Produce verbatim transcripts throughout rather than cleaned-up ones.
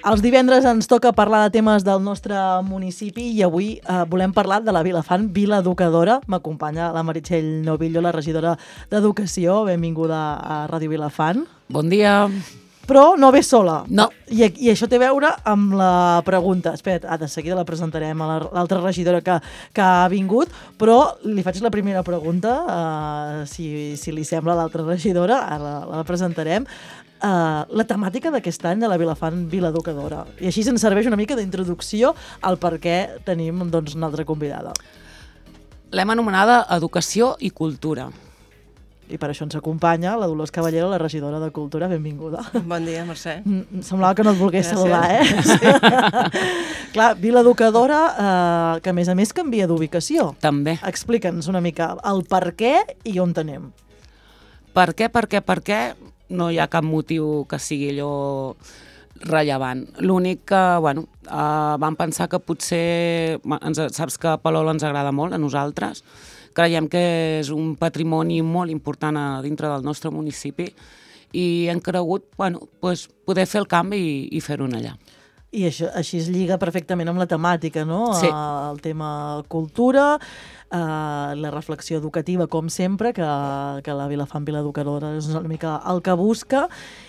Els divendres ens toca parlar de temes del nostre municipi i avui eh, volem parlar de la Vilafant, Vila Educadora. M'acompanya la Meritxell Novillo, la regidora d'Educació. Benvinguda a Ràdio Vilafant. Bon dia. Però no ve sola. No. I, I això té a veure amb la pregunta. Espera't, ah, de seguida la presentarem a l'altra regidora que, que ha vingut, però li faig la primera pregunta, uh, si, si li sembla a l'altra regidora, ara la, la presentarem. Uh, la temàtica d'aquest any de la Vilafant Vila Educadora. I així ens serveix una mica d'introducció al per què tenim doncs, una altra convidada. L'hem anomenada Educació i Cultura. I per això ens acompanya la Dolors Caballero, la regidora de Cultura. Benvinguda. Bon dia, Mercè. Mm, semblava que no et volgués Gràcies. saludar, eh? Sí. Clar, Vila Educadora, eh, que a més a més canvia d'ubicació. També. Explica'ns una mica el per què i on anem. Per què, per què, per què? No hi ha cap motiu que sigui allò rellevant. L'únic que, bueno, eh, vam pensar que potser, ens, saps que Palol ens agrada molt a nosaltres, creiem que és un patrimoni molt important a dintre del nostre municipi i hem cregut, bueno, pues, poder fer el canvi i, i fer-ho allà. I això, així es lliga perfectament amb la temàtica, no? Sí. El tema cultura, eh, la reflexió educativa, com sempre, que, que la Vilafant Vila Educadora és una mica el que busca,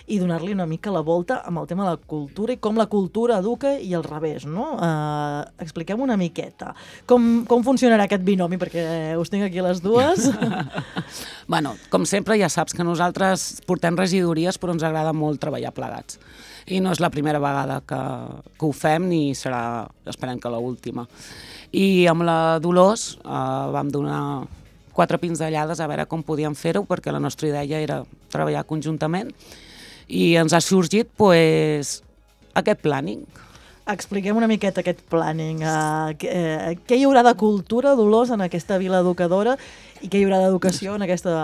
i donar-li una mica la volta amb el tema de la cultura i com la cultura educa i al revés, no? Eh, expliquem una miqueta. Com, com funcionarà aquest binomi? Perquè us tinc aquí les dues. Bueno, com sempre, ja saps que nosaltres portem regidories, però ens agrada molt treballar plegats. I no és la primera vegada que, que ho fem, ni serà, esperem que l'última. I amb la Dolors eh, vam donar quatre pinzellades a veure com podíem fer-ho, perquè la nostra idea era treballar conjuntament, i ens ha sorgit pues, aquest planning. Expliquem una miqueta aquest planning. Uh, què, uh, què hi haurà de cultura, Dolors, en aquesta Vila Educadora i què hi haurà d'educació en aquesta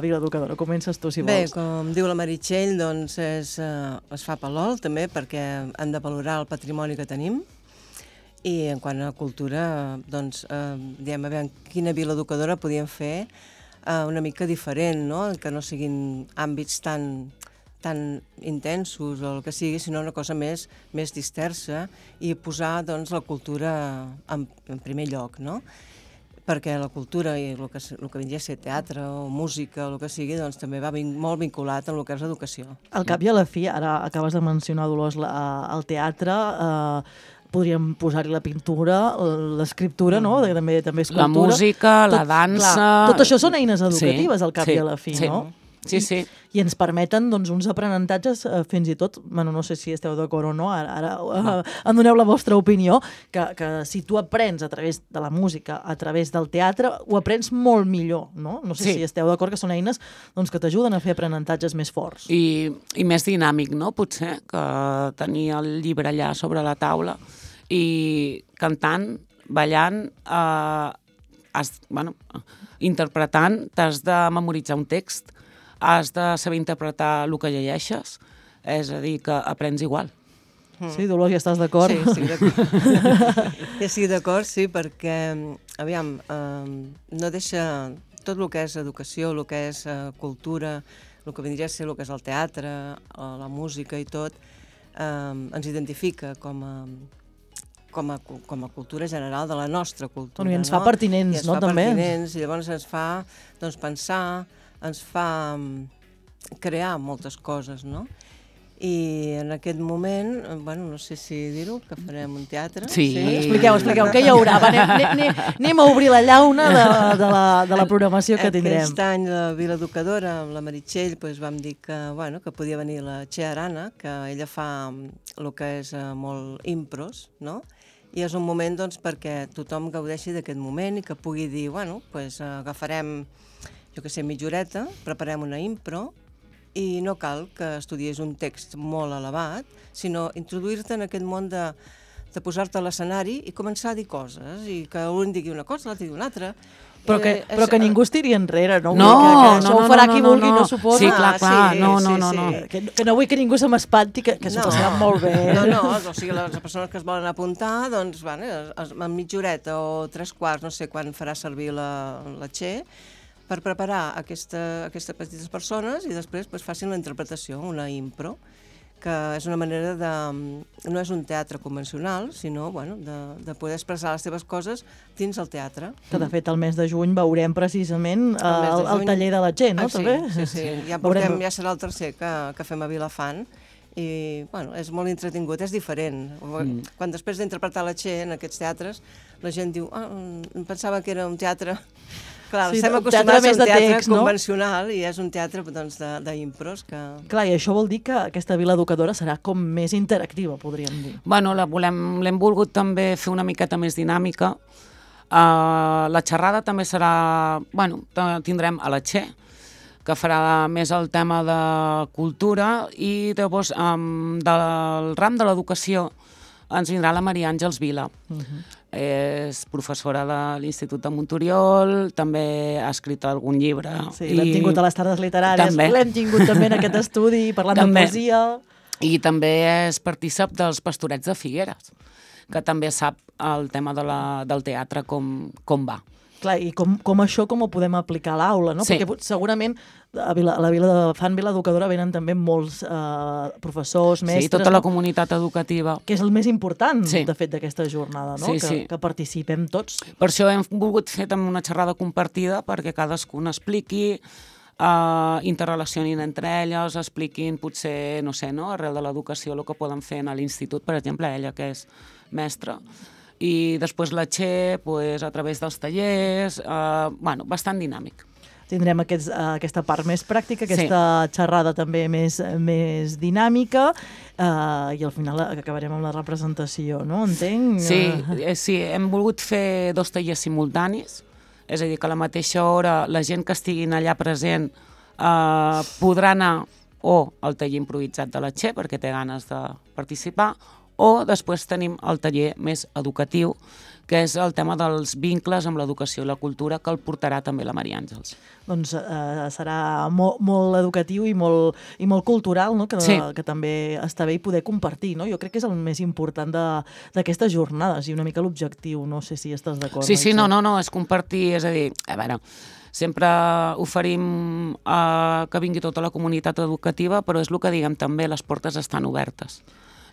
Vila Educadora? Comences tu, si Bé, vols. com diu la Meritxell, doncs és, eh, es fa Palol, també, perquè han de valorar el patrimoni que tenim. I en quant a cultura, doncs, eh, diem, a veure, quina Vila Educadora podíem fer eh, una mica diferent, no? Que no siguin àmbits tan... tan intensos o el que sigui, sinó una cosa més, més dispersa i posar doncs, la cultura en, en primer lloc, no? Perquè la cultura i el que, el que vindria a ser teatre o música o el que sigui, doncs també va vin, molt vinculat amb el que és l'educació. Al cap i a la fi, ara acabes de mencionar, Dolors, la, el teatre, eh, podríem posar-hi la pintura, l'escriptura, no? De, també, també és cultura. La música, tot, la dansa... Clar, tot això són eines educatives, sí, al cap sí, i a la fi, sí. no? Sí, sí. I, i ens permeten doncs, uns aprenentatges eh, fins i tot, bueno, no sé si esteu d'acord o no, ara, ara no. eh, em doneu la vostra opinió, que, que si tu aprens a través de la música, a través del teatre, ho aprens molt millor, no? No sé sí. si esteu d'acord que són eines doncs, que t'ajuden a fer aprenentatges més forts. I, I més dinàmic, no? Potser, que tenir el llibre allà sobre la taula i cantant, ballant, eh, has, bueno, interpretant, t'has de memoritzar un text, has de saber interpretar el que llegeixes, és a dir, que aprens igual. Sí, Dolors, ja estàs d'acord? Sí, estic d'acord. Ja estic d'acord, sí, perquè, aviam, eh, no deixa tot el que és educació, el que és eh, cultura, el que vindria a ser el que és el teatre, la música i tot, eh, ens identifica com a Com a, com a cultura general de la nostra cultura. Bueno, I ens no? fa pertinents, I ens no? fa també. pertinents, i llavors ens fa doncs, pensar, ens fa crear moltes coses, no? I en aquest moment, bueno, no sé si dir-ho, que farem un teatre. Sí. sí? Expliqueu, expliqueu, què hi haurà? Va, anem, anem, anem a obrir la llauna de, de, la, de la programació que tindrem. Aquest any la Vila Educadora, amb la Meritxell, doncs vam dir que, bueno, que podia venir la Txea Arana, que ella fa el que és eh, molt impros, no? I és un moment doncs, perquè tothom gaudeixi d'aquest moment i que pugui dir, bueno, doncs, agafarem, jo que sé, mitja horeta, preparem una impro i no cal que estudies un text molt elevat, sinó introduir-te en aquest món de, de posar-te a l'escenari i començar a dir coses, i que un digui una cosa, l'altre digui una altra. Però que, Eh, però és- que ningú es tiri enrere, no? No, que, que no, això no, ho farà no, qui no, vulgui, no. no suposa. Sí, clar, clar, Ah, sí, no, no, sí, no, sí. no. Que, que no vull que ningú se m'espanti, que, que s'ho No. passaran molt bé. No, no, o sigui, les persones que es volen apuntar, doncs, bueno, es- en mitja horeta o tres quarts, no sé quan farà servir la, la Txé, per preparar aquesta, aquestes petites persones i després pues, facin la interpretació, una impro, que és una manera de... No és un teatre convencional, sinó bueno, de, de poder expressar les teves coses dins el teatre. Que, de fet, el mes de juny veurem precisament el, el, el taller de la Txell, no? Ah, sí, també? sí, sí. Ja, portem, ja serà el tercer que, que fem a Vilafant, i bueno, és molt entretingut, és diferent. Mm. Quan després d'interpretar la Txell en aquests teatres, la gent diu, ah, em pensava que era un teatre... Clar, sí, estem acostumats a un teatre text, convencional, no? I és un teatre doncs, d'impros que... Clar, i això vol dir que aquesta vila educadora serà com més interactiva, podríem dir. Bueno, la volem, l'hem volgut també fer una miqueta més dinàmica. Uh, la xerrada també serà... Bueno, tindrem a la Txell, que farà més el tema de cultura, i llavors um, del ram de l'educació ens vindrà la Maria Àngels Vila. Uh-huh. És professora de l'Institut de Monturiol, també ha escrit algun llibre. Sí, i... l'hem tingut a les tardes literàries, l'hem tingut també en aquest estudi, parlant també. de poesia. I també és partícip dels Pastorets de Figueres, que també sap el tema de la, del teatre com, com va. Clar, i com, com això com ho podem aplicar a l'aula, no? Sí. Perquè segurament a, Vila, a la Vila de Fan Vila Educadora venen també molts eh, professors, mestres... Sí, tota la comunitat educativa. Que és el més important, sí. de fet, d'aquesta jornada, no? Sí, que, sí. que participem tots. Per això hem volgut fer també una xerrada compartida, perquè cadascun expliqui, uh, interrelacionin entre elles, expliquin potser, no sé, no? Arrel de l'educació, el que poden fer a l'institut, per exemple, ella que és mestra, i després la Txell, pues, a través dels tallers, uh, bueno, bastant dinàmic. Tindrem aquests, uh, aquesta part més pràctica, aquesta sí. xerrada també més, més dinàmica, uh, i al final acabarem amb la representació, no? Entenc? Sí, eh, sí, hem volgut fer dos tallers simultanis, és a dir, que a la mateixa hora la gent que estiguin allà present uh, podrà anar o al taller improvisat de la Txell, perquè té ganes de participar, o després tenim el taller més educatiu, que és el tema dels vincles amb l'educació i la cultura, que el portarà també la Maria Àngels. Doncs eh, serà molt, molt educatiu i molt, i molt cultural, no? que, sí. que també està bé i poder compartir. No? Jo crec que és el més important d'aquestes jornades i una mica l'objectiu. No sé si estàs d'acord. Sí, sí, no, no, no, és compartir, és a dir, a veure, sempre oferim eh, que vingui tota la comunitat educativa, però és el que diguem també, les portes estan obertes.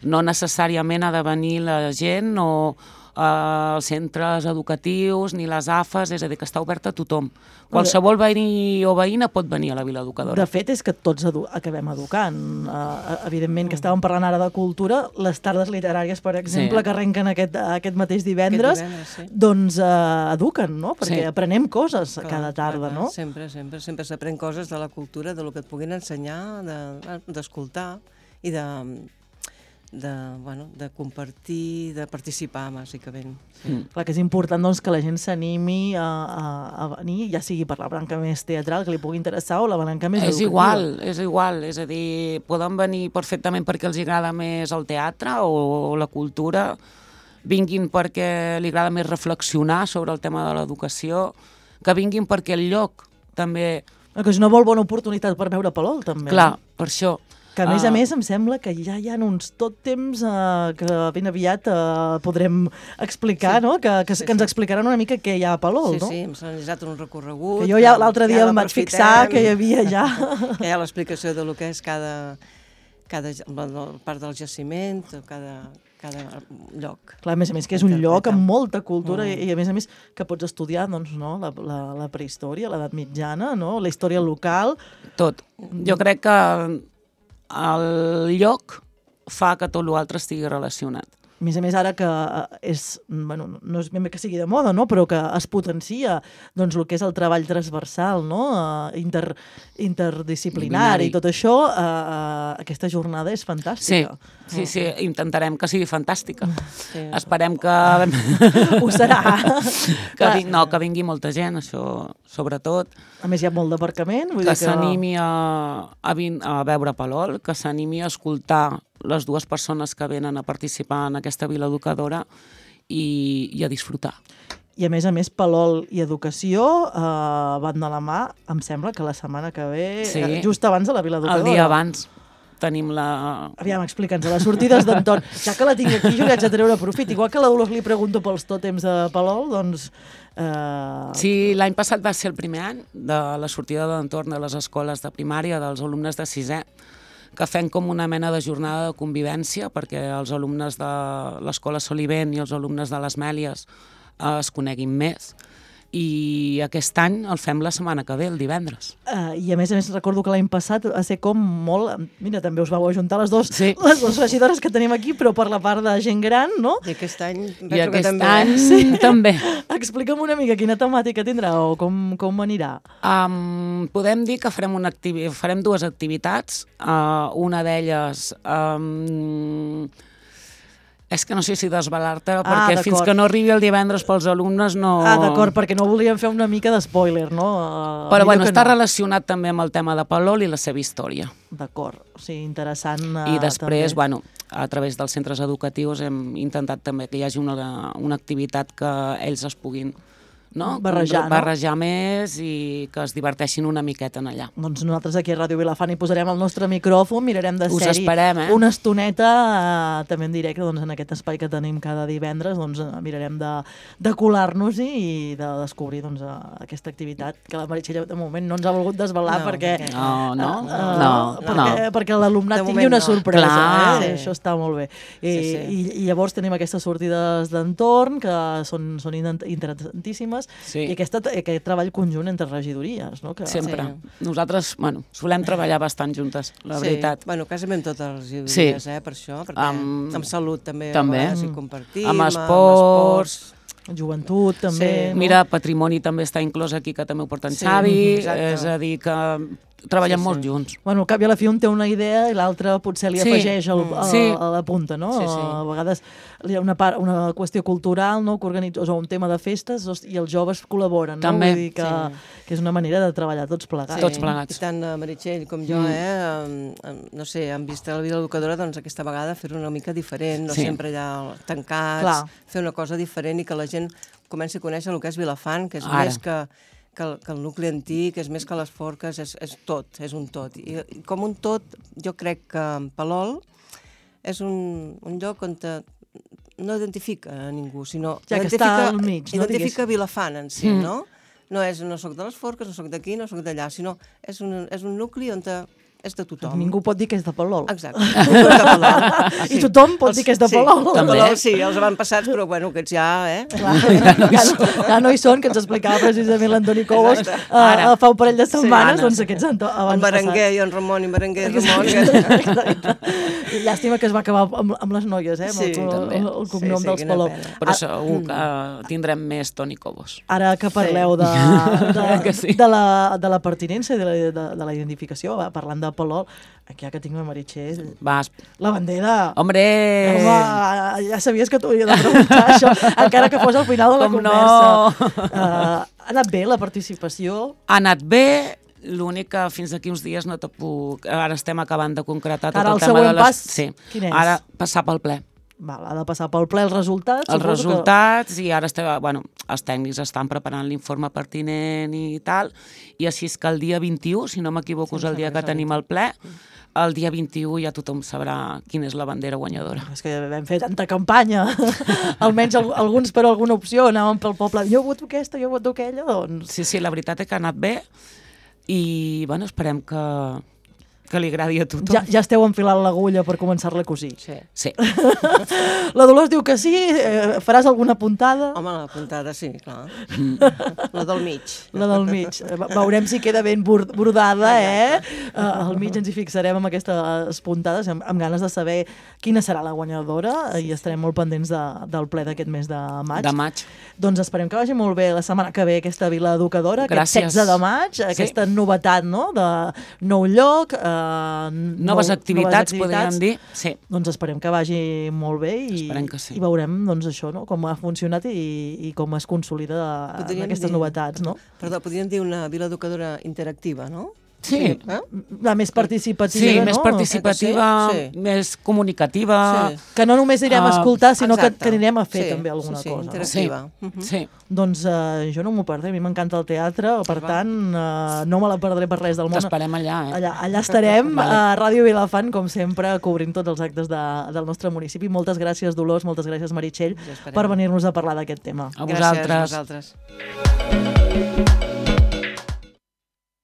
No necessàriament ha de venir la gent o eh, els centres educatius ni les A F Es, és a dir, que està oberta a tothom. Qualsevol veí o veïna pot venir a la Vila Educadora. De fet, és que tots edu acabem educant. Uh, evidentment, que estàvem parlant ara de cultura, les tardes literàries, per exemple, sí. que arrenquen aquest, aquest mateix divendres, aquest divendres sí. doncs uh, eduquen, no? Perquè sí. aprenem coses clar, cada tarda, clar, no? Sempre, sempre, sempre s'aprèn coses de la cultura, de lo que et puguin ensenyar, d'escoltar de, i de... de, bueno, de compartir, de participar, bàsicament. Sí. Mm. Clar, que és important doncs, que la gent s'animi a, a, a venir, ja sigui per la branca més teatral, que li pugui interessar, o la branca més és educativa. Igual, és igual, és a dir, poden venir perfectament perquè els agrada més el teatre o la cultura, vinguin perquè li agrada més reflexionar sobre el tema de l'educació, que vinguin perquè el lloc també... Que és una molt bona oportunitat per veure Palol, també. Clar, per això... Que a més a més em sembla que ja hi ha uns tot temps uh, que ben aviat uh, podrem explicar, sí. no? Que, que, sí, que ens explicaran una mica què hi ha a Palol, sí, no? Sí, sí, ens han realitzat un recorregut. Que jo ja l'altre dia em vaig fixar que hi havia ja... Que hi ha l'explicació de lo que és cada, cada part del jaciment, cada, cada lloc. Clar, a més a més que és un lloc amb molta cultura mm. i a més a més que pots estudiar doncs, no? la, la, la prehistòria, l'edat mitjana, no? La història local... Tot. Jo crec que el lloc fa que tot l'altre estigui relacionat. A més a més, ara que és, bueno, no és ben bé que sigui de moda, no? Però que es potencia doncs, el que és el treball transversal, no? Inter, interdisciplinari, i tot això, eh, aquesta jornada és fantàstica. Sí, sí, sí, intentarem que sigui fantàstica. Sí. Esperem que... Ho serà. que ving... No, que vingui molta gent, això, sobretot. A més, hi ha molt d'aparcament. Que, que... s'animi a, a, a veure Palol, que s'animi a escoltar les dues persones que venen a participar en aquesta Vila Educadora i, i a disfrutar. I a més a més, Palol i educació eh, van de la mà, em sembla que la setmana que ve, sí. eh, just abans de la Vila Educadora. El dia abans tenim la... Aviam, explica'ns, a les sortides d'entorn. Ja que la tinc aquí, jo li haig de treure profit. Igual que la Dolors li pregunto pels tòtems de Palol, doncs... Eh... Sí, l'any passat va ser el primer any de la sortida d'entorn de les escoles de primària dels alumnes de sisè, que fem com una mena de jornada de convivència perquè els alumnes de l'Escola Solivent i els alumnes de les Mèlies eh, es coneguin més. I aquest any el fem la setmana que ve, el divendres. Uh, I a més a més recordo que l'any passat va ser com molt... Mira, també us vau ajuntar les dues, sí. les dues regidores que tenim aquí, però per la part de gent gran, no? I aquest any I aquest que també. any sí. també. Explica'm una mica quina temàtica tindrà o com, com anirà. Um, podem dir que farem, una activi- farem dues activitats. Uh, una d'elles... Um, És que no sé si desvelar-te, Ah, perquè d'acord. fins que no arribi el divendres pels alumnes no... Ah, d'acord, perquè no volíem fer una mica d'espoiler, no? Uh, Però bueno, està no. relacionat també amb el tema de Palol i la seva història. D'acord, o sigui, interessant. Uh, I després, també. bueno, a través dels centres educatius hem intentat també que hi hagi una, una activitat que ells es puguin no? Barrejar, no? barrejar més i que es diverteixin una miqueta en allà. Doncs nosaltres aquí a Ràdio Vilafant hi posarem el nostre micròfon, mirarem de Us ser-hi esperem, eh? una estoneta, eh, també en directe, doncs, en aquest espai que tenim cada divendres, doncs, eh, mirarem de, de colar-nos-hi i de descobrir doncs, eh, aquesta activitat que la Meritxell de moment no ens ha volgut desvelar No, perquè, perquè- No, no, eh, no, no. perquè, perquè l'alumnat De tingui moment una no. sorpresa. Clar. Eh? Sí. Això està molt bé. I, Sí, sí. i, i llavors tenim aquestes sortides d'entorn que són, són inter- interessantíssimes Sí. i aquesta, aquest treball conjunt entre regidories. No? Que, Sempre. Sí. Nosaltres, bueno, solem treballar bastant juntes, la sí. veritat. Bueno, quasi amb totes les idees, Sí. eh, per això, perquè Amb- amb salut també, també. a vegades hi compartim, Amb esports. Joventut, també. Sí. no? Mira, patrimoni també està inclòs aquí, que també ho porta en Sí, Xavi, exacte. és a dir, que treballem Sí, sí. molt junts. Bueno, al cap i a la fi un té una idea i l'altre potser li Sí. afegeix el, Mm. a, Sí. a la punta, no? Sí, sí. A vegades hi ha una, part, una qüestió cultural, no?, que organitza, o un tema de festes os- i els joves col·laboren, no? També. Vull dir que, Sí. que és una manera de treballar tots plegats. Tots plegats. I tant la Meritxell com jo, Mm. eh, em- em- no sé, han vist a la vida educadora, doncs aquesta vegada fer-ho una mica diferent, no Sí. sempre allà tancats, Clar. fer una cosa diferent i que la gent comenci a conèixer el que és Vilafant, que és Ara. més que, que, el, que el nucli antic, és més que les forques, és, és tot, és un tot. I, I com un tot, jo crec que Palol és un, un lloc on te, no identifica a ningú, sinó Ja que identifica, està al mig, no, identifica diguéssim. Vilafant en si, Mm. no? No és, no soc de les forques, no soc d'aquí, no soc d'allà, sinó és un, és un nucli on te, és de tothom. Ningú pot dir que és de Palol. Exacte. Tothom de Palol. I tothom pot dir que és de Palol. Sí, També. de Palol sí, els avantpassats, però bueno, aquests ja, eh? Clar, ja, no, ja no hi són, que ens explicava precisament l'Antoni Cobos uh, Ara. fa un parell de setmanes, Sí. doncs aquests han En Berenguer i en Ramon i Berenguer i Ramon. Que... Exacte. Llàstima que es va acabar amb, amb les noies, eh? Amb Sí, el, també. el, el cognom Sí, sí, dels quina Palol. pena. Però segur que tindrem més Toni Cobos. Ara que parleu de, de, Que sí. de, la, de la pertinença i de la, de, de la identificació, va, parlant de Palol, aquí ja que tinc la Meritxell, Vas. la bandera... Hombre! Home, ja sabies que t'ho havia de preguntar, això, encara que fos al final de la Com conversa. no? Uh, ha anat bé la participació? Ha anat bé, l'únic que fins d'aquí uns dies no te puc... Ara estem acabant de concretar tot Ara el el tema següent de les... pas, Sí. quin és? Ara passar pel ple. Val, ha de passar pel ple els resultats. Els suposo resultats i ara estem, bueno, els tècnics estan preparant l'informe pertinent i tal, i així és que el dia vint-i-u, si no m'equivoco, és el dia que tenim el ple, el dia vint-i-u ja tothom sabrà quina és la bandera guanyadora. Que, és que vam fer tanta campanya, almenys al, alguns per alguna opció, anàvem pel poble, jo voto aquesta, jo voto aquella, doncs... Sí, sí, la veritat és que ha anat bé i, bueno, esperem que, que li agradi a tothom. Ja, ja esteu enfilant l'agulla per començar-la a cosir. Sí. Sí. La Dolors diu que sí, eh, faràs alguna puntada? Home, la puntada sí, clar. La del mig. La del mig. Ve- Veurem si queda ben bord- bordada, eh? Uh, al mig ens hi fixarem amb aquestes puntades, amb, amb ganes de saber quina serà la guanyadora i estarem molt pendents de, del ple d'aquest mes de maig. De maig. Doncs esperem que vagi molt bé la setmana que ve aquesta Vila Educadora, Gràcies. aquest setze de maig, aquesta novetat, no?, de nou lloc, eh, Noves nou- activitats, noves podríem dir. Sí. Doncs esperem que vagi molt bé i, Esperem que sí. i veurem doncs, això, no?, com ha funcionat i, i com es consolida Podríem aquestes dir- novetats, no? Perdó, podríem dir una vila educadora interactiva, no? Sí, Eh? la més participativa, Sí, no? més participativa, Sí, sí. més comunicativa. Sí. Que no només anirem a Ah, escoltar, sinó que, Exacte. que anirem a fer Sí, també alguna sí, sí, cosa. No? interactiva. Sí, Mhm. sí. Doncs eh, jo no m'ho perdré, a mi m'encanta el teatre, per Va. tant, eh, no me la perdré per res del món. T'esperem allà, eh? Allà, allà estarem, Vale. a Ràdio Vilafant, com sempre, cobrint tots els actes de, del nostre municipi. Moltes gràcies, Dolors, moltes gràcies, Meritxell, Us esperem. per venir-nos a parlar d'aquest tema. A Gràcies vosaltres. a vosaltres.